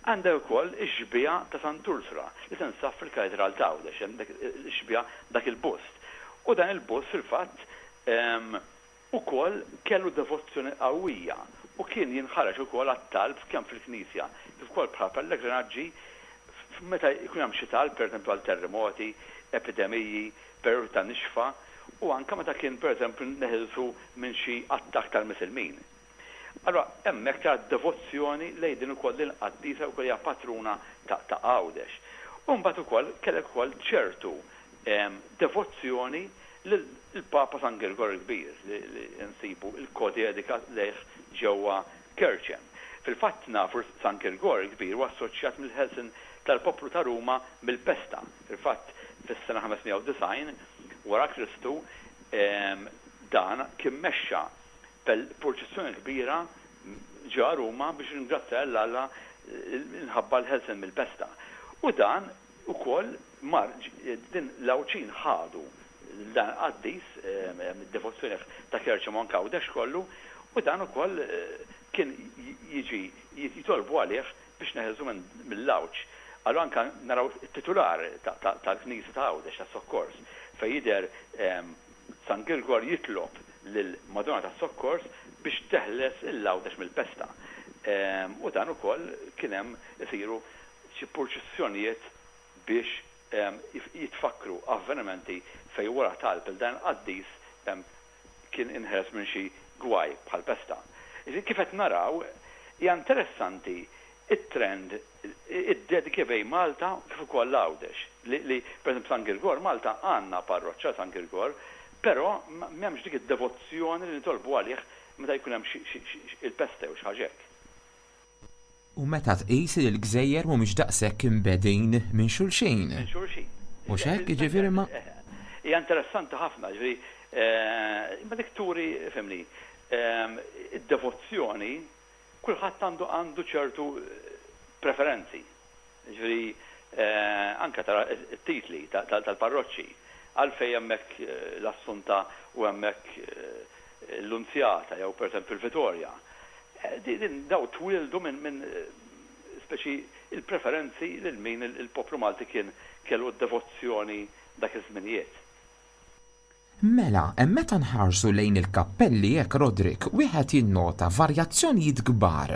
Għandek ukoll ix-xbieha ta' Sant Ursula li tinsab fil-Katedral ta' Għawdex, hemm dak ix-xbieha dak il-bust. U dan il-bust fil-fatt ukoll kellu devozzjoni qawwija u kien jinħareġ ukoll għat-talb kemm fil-knisja kif ukoll bħala pellegrinaġġi meta jkun hemm xi talb pereżempju għal terremoti, epidemiji, perjodi ta' nixfa, u anke meta kien pereżempju neħilsu minn xi attakk tal-Misilmin. Allora hemmhekk ta' devozzjoni lejn din ukoll din il-qaddisa wkoll hija patruna ta' Għawdex. U mbagħad ukoll kellek ukoll ċertu devozzjoni lill-Papa San Girgor il-Kbir li nsibu il-kodedika lejh ġewwa Kerċem. Fil-fatt nafu San Girgor il-Kbir huwa assoċjat mill-ħelsin tal-poplu ta' Ruma mill-pesta. Fil-fatt fis-sena ħames mija u disgħin wara Kristu Dan kien mexxa purċissjoni kbira ġo Ruma biex ringrazzja 'l Alla minħabba l-ħelsien mill-pesta. U dan ukoll mar din l-Għawdxin ħadu dan qaddis, devozzjoni ta' Kerċem anke Għawdex kollu, u dan ukoll kien jiġi jitolbu għalih biex neħelsu mill-għawġ. Allura anka naraw it-titular tal-Knisja ta' Għawdex tas-Sokkors fejn jidher San Girgor jitlob lil Madonna tas-Sokkors biex teħles il-Għawdex mill-pesta. U dan ukoll kien hemm isiru xi purċissjonijiet biex jitfakru avvenimenti fejn wara talb il dan qaddis kien inħeles minn xi gwaj bħal pesta. Kif qed naraw, hija interessanti it-trend, id-dediki bejn Malta kif ukoll Għawdex. Li, li per esempio, San Girgor, Malta għandna parroċċa San Girgor, però m'hemmx dik id-devozzjoni li nitolbu għalih meta jkun hemm il-pesta jew xi ħaġa hekk. U meta tqis li l-gżejjer mhumiex daqshekk imbegħdin minn xulxin. Minn xulxin. U x'hekk, jiġifieri ma. Hija interessanti ħafna, ġifieri, imma dik turi, fhimni, id-devozzjoni, kulħadd għandu għandu ċertu preferenzi. Ġifieri, anka tara it-titli tal-parroċċi, għalfejn hemmhekk l-Assunta u hemmhekk l-Lunzjata jew pereżempju l-Vittoria. Din daw twildu minn min speċi il-preferenzi lil min il-poplu Malti kien kellu d-devozzjoni dak iż-żminijiet. Mela, hemm meta nħarsu lejn il-kappelli hekk, Roderick, wieħed jinnota varjazzjonijiet kbar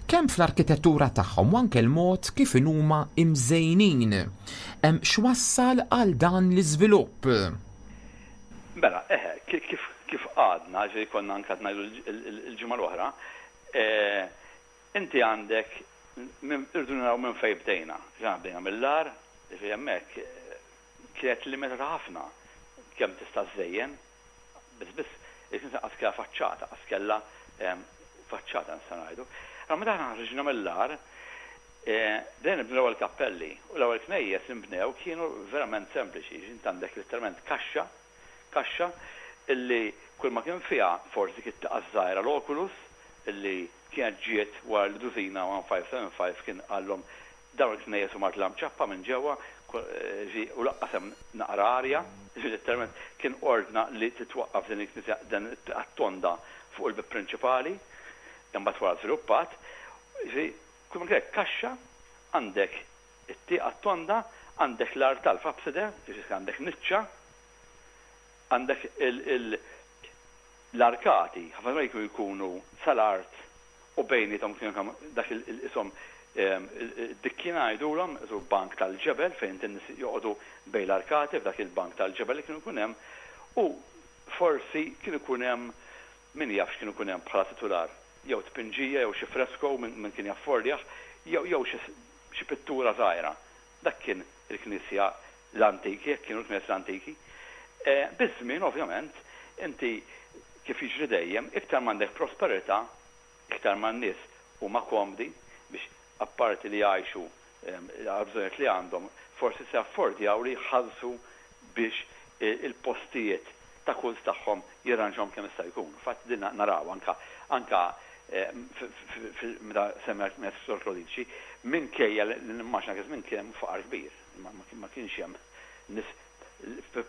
kemm fl-arkitettura tagħhom u anke l-mod kif huma imżejnin. Hemm x'wassal għal dan l-iżvilupp? Mela, eħe, kif kif għadna, ġej konna anka ngħidu il-ġimgħa l-oħra, inti għandek, irdu naraw minn fejn bdejna. Ġa bdejna mill-għar, ġifieri hemmhekk kienet limitata ħafna kemm tista' żejjen, biss biss il-knisja qas kellha faċċata, qas kellha faċċata nista' ngħidu. Allora meta aħna ħriġna mill-għar, bdejna nibnu l-ewwel kappelli u l-ewwel knejjes li nbnew kienu verament sempliċi, int għandek letteralment kaxxa, kaxxa illi kull ma kien fiha forsi kien tieqa żgħira, l-oculus, illi kienet ġiet wara li Dusina fifteen seventy-five kien qallhom dawn il-knejjes huma ċappa minn ġewwa u lanqas hemm naqra arja, letteralment kien ordna li titwaqqaf din il-knisja, dan it-tonda fuq il-bib prinċipali, imbagħad wara żviluppat. Kull ma kien kaxxa, għandek it-tieqa tonda, għandek l-artal f'abside, għandek niċċa, għandek l-arkati, ħafna drabi jkunu sal-art u bejniethom kienu dak il-isom dikkina jgħidulhom, isu bank tal-ġebel fejn in-nies joqogħdu bejn l-arkati f'dak il-bank tal-ġebel li kienu jkun hemm, u forsi kienu jkun hemm, min jaf x'kienu jkun hemm bħala titular, jew tpinġija jew xi fresko minn kien jaffordjah jew jew xi pittura żgħira. Dak kien il-knisja l-antiki, jekk kienu l-knisja l-antiki. Biż-żmien, ovvjament, inti kif jiġri dejjem, iktar m'għandek prosperità, iktar ma n-nies huma komdi biex apparti li jgħixu għal-bżonnijiet li għandhom, forsi se affordjaw li jħallsu biex il-postijiet ta' kult tagħhom jirranġhom kemm jista' jkun. Fatt din naraw anka anka meta semmek Sur Klodiċi, minkejja li nimmaġina kif minn kien faqar kbir, ma kienx hemm nies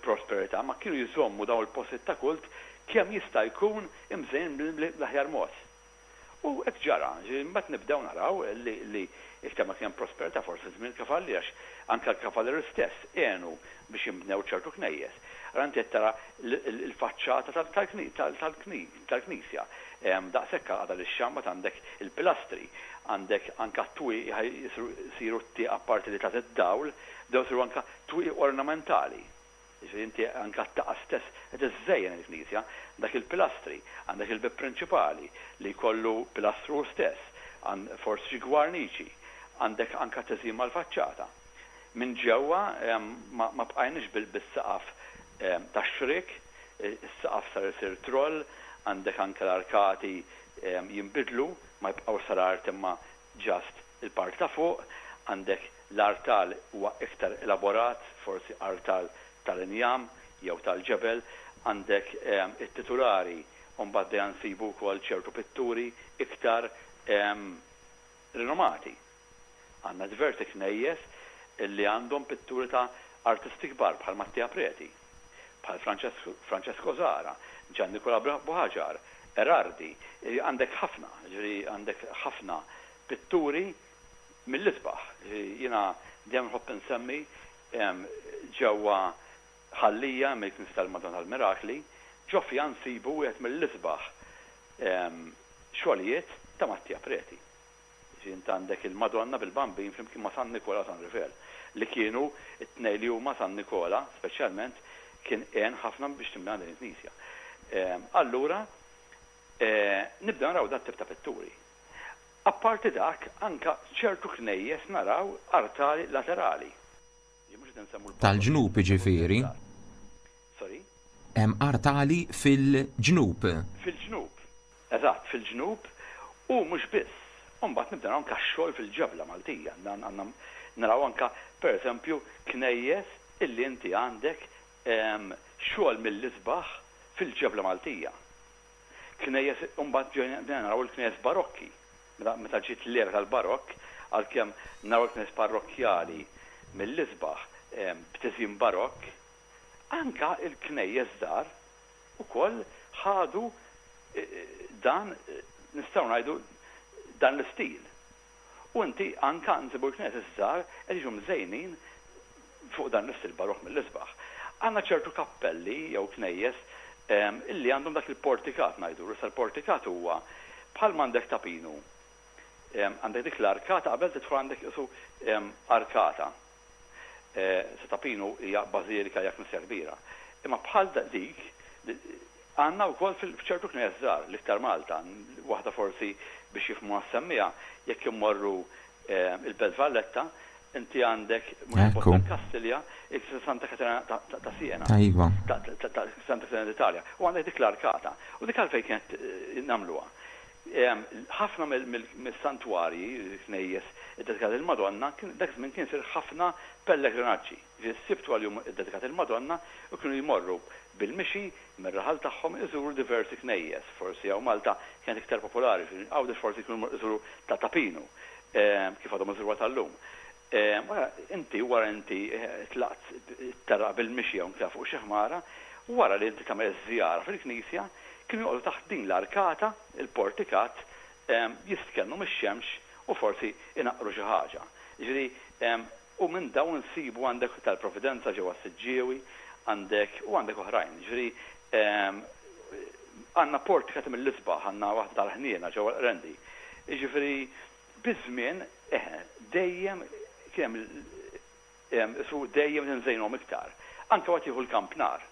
prosperità, ma kienu jżommu dawn il-postijiet ta' kult kemm jista' jkun imżejn bl-aħjar mod. U hekk ġara, mbagħad nibdew naraw li li iktar ma kien prosperità, forsi żmien kavalli, għax anke l-kavallieri stess għenu biex jinbnew ċertu knejjes. Allura inti qed tara il-faċċata tal-knisja. Daqshekk għadha li xamba għandek il-pilastri, għandek anka twieqi jsiru t-tieqa apparti li tagħti d-dawl, bdew isiru anka twieqi ornamentali. Ġifieri inti anka t-tieqa stess qed iżżejjen il-knisja, dak il-pilastri, għandek il-bib prinċipali li jkollu pilastru stess, forsi xi gwarniċi, għandek anka teżim mal-faċċata. Minn ġewwa ma bqajniex bis-saqaf tax-xrik, is-saqaf sar isir troll, għandek anke l-arkati jinbidlu, ma jibqgħu sal-art imma just il-part ta' fuq, għandek l-artal huwa iktar elaborat, forsi artal tal-injam jew tal-ġebel, Għandek it-titulari, u mbagħad dejjem nsibu wkoll ċertu pitturi iktar rinomati. Għandna diversi knejjes illi għandhom pitturi ta' artisti kbar bħal Mattia Preti, bħal Francesco Zara, Gian Nicola Buhagiar, Erardi, għandek ħafna, ġifieri għandek ħafna pitturi mill-isbaħ. Jiena dejjem nħobb insemmi ġewwa Ħal Lija mill-Knisja tal-Madonna tal-Mirakli, ġo fiha nsibu wieħed mill-isbaħ xogħlijiet ta' Mattia Preti. Ġifieri int għandek il-Madonna bil-Bambin flimkien ma' San Nikola San Rifel, li kienu it-tnejn li huma San Nikola, speċjalment kien għen ħafna biex tinbena din il-knisja. Allura, nibdew naraw dat tip ta' pitturi. Apparti dak, anka ċertu knejjes naraw artali laterali. Tal-ġnub ġifieri. Sorry? Hemm artali fil-ġnub. Fil-ġnub, eżatt, fil-ġnub, u mhux biss. Mbagħad nibda naraw anka xogħol fil-ġebla Maltija. Għandna naraw anka, per eżempju, knejjes illi inti għandek xogħol mill-isbaħ fil-ġebla Maltija. Knejjes, mbagħad naraw il-knejjes barokki. Meta ġiet l-era tal-barokk, għalkemm naraw il-knejjes parrokkjali mill-isbaħ b'tiżjin barokk, anka il-knejjes żgħar ukoll ħadu dan, nistgħu ngħidu, dan l-istil. U inti anka nsibu l-knejjes żgħar qed jiġu mżejnin fuq dan l-istil barokk mill-isbaħ. Għandna ċertu kappelli jew knejjes illi għandhom dak il-portikat ngħidu. Issa l-portikat huwa bħal m'għandek Ta' Pinu. Għandek dik l-arkata qabel tidħol għandek isu arkata. Se Ta' Pinu hija bażilika, hija knisja kbira. Imma bħal dik għandna wkoll f'ċertu knejjes żgħar, l-iktar Malta, waħda forsi biex jifhmu għas-semmija, jekk immorru il-Belt Valletta, inti għandek Kastilja, il-Santa Katerina ta' Siena. Iva. Ta' Santa Katerina d'Italja. U għandek dik l-arkata. U dik għalfejn kienet nagħmluha. Ħafna mill-santwarji, knejjes iddedikati il-Madonna, dak żmien kien isir ħafna pellegrinaġġi. Ġifieri għal jum iddedikat il-Madonna u kienu jmorru bil-mixi mir-raħal tagħhom iżuru diversi knejjes. Forsi hawn Malta kienet iktar popolari, Għawdex forsi kienu iżuru ta' Ta' Pinu, kif għadhom iżuru tal-lum. Inti wara inti tlaqt terraq bil-mixi hawn fuq xi ħmara, wara li inti tagħmel żjara fil-knisja, kienu joqogħdu taħt din l-arkata, il-portikat, jistkennu mix-xemx u forsi inaqqru xi ħaġa. Ġifieri, u minn dawn nsibu għandek tal-Providenza ġewwa Siġġiewi, għandek u għandek oħrajn. Ġifieri, għandna portikat mill-isbaħ, għandna waħda tal-Ħniena ġewwa Rendi. Ġifieri, biż-żmien, dejjem kien su dejjem nżejnhom iktar. Anke waqt jieħu l-kampnar.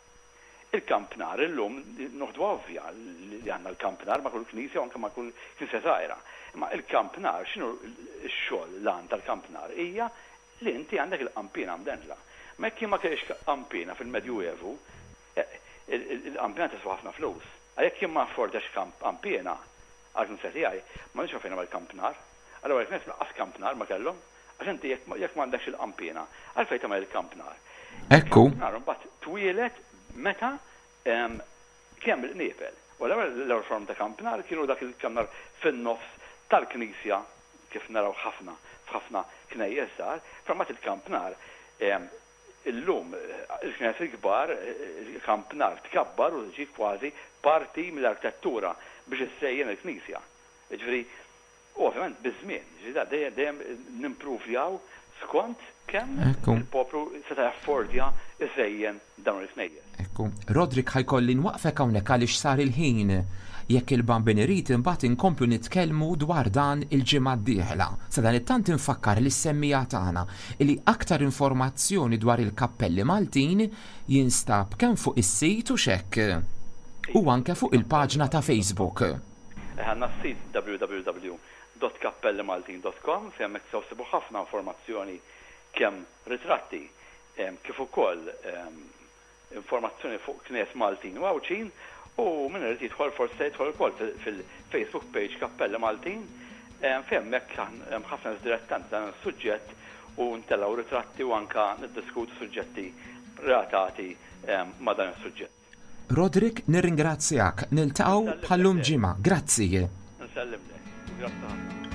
Il-kampnar illum noħdu ovvja li għandna l-kampnar ma' kull knisja u anke ma' kull knisja żgħira. Imma il-kampnar, x'inhu x-xogħol l-għan tal-kampnar? Hija li inti għandek il-qampina mdendla. Ma jekk ma kellix qampina fil-Medjuevu, il-qampina tiswa ħafna flus. Għalhekk jien ma affordjax qampina għal-knisja tiegħi, ma nix fejn nagħmel kampnar. Allura l-knisja lanqas kampnar ma kellhom, għax inti jekk m'għandekx il-qampina, għalfejn tagħmel il-kampnar? Ekku. Kampnar mbagħad twieled meta kemm il-qniepel. U l-ewwel form ta' kampnar kienu dak il-kampnar fin-nofs tal-knisja, kif naraw ħafna f'ħafna knejjes żgħar, però mbagħad il-kampnar illum il-knejjes il-kbar, il-kampnar tkabbar u ġi kważi parti mill-arkitettura biex issejjen il-knisja. Ġifieri, u ovvjament biż-żmien, ġifieri dejjem dejjem nimpruvjaw skont kemm il-poplu seta' jaffordja iżejjen dawn il-knejjes. Ekku. Roderick, ħa jkolli nwaqfek hawnhekk għaliex sar il-ħin. Jekk il-Bambin irid, imbagħad inkomplu nitkellmu dwar dan il-ġimgħa d-dieħla. Sadanittant infakkar lis-semmiegħa tagħna li aktar informazzjoni dwar il-kappelli Maltin jinstab kemm fuq is-sit u xek u anke fuq il-paġna ta' Facebook. Għandna s-sit W W W dot kappellimaltin dot com fejn hemmhekk tistgħu ssibu ħafna informazzjoni, kemm ritratti kif ukoll informazzjoni fuq knejjes Maltin u Għawdxin, u min irid jidħol forsi se jidħol ukoll fil-Facebook page Kappelli Maltin, fejn hemmhekk hemm ħafna dilettanti dan is-suġġett u ntellgħu ritratti u anka niddiskutu suġġetti relatati ma' dan is-suġġett. Roderick, nirringrazzjak. Niltaqgħu bħallum ġimgħa. Grazzi. Nsellimlek. Grazzi ħafna.